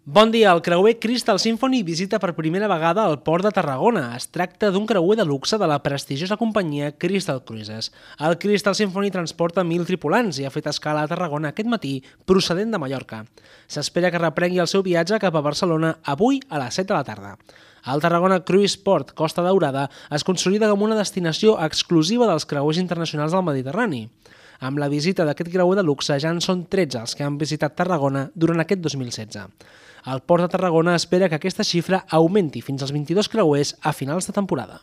Bon dia, el creuer Crystal Symphony visita per primera vegada el port de Tarragona. Es tracta d'un creuer de luxe de la prestigiosa companyia Crystal Cruises. El Crystal Symphony transporta 1.000 tripulants i ha fet escala a Tarragona aquest matí procedent de Mallorca. S'espera que reprengui el seu viatge cap a Barcelona avui a les 7 de la tarda. El Tarragona Cruise Port Costa Daurada es consolida com una destinació exclusiva dels creuers internacionals del Mediterrani. Amb la visita d'aquest creuer de luxe ja en són 13 els que han visitat Tarragona durant aquest 2016. El Port de Tarragona espera que aquesta xifra augmenti fins als 22 creuers a finals de temporada.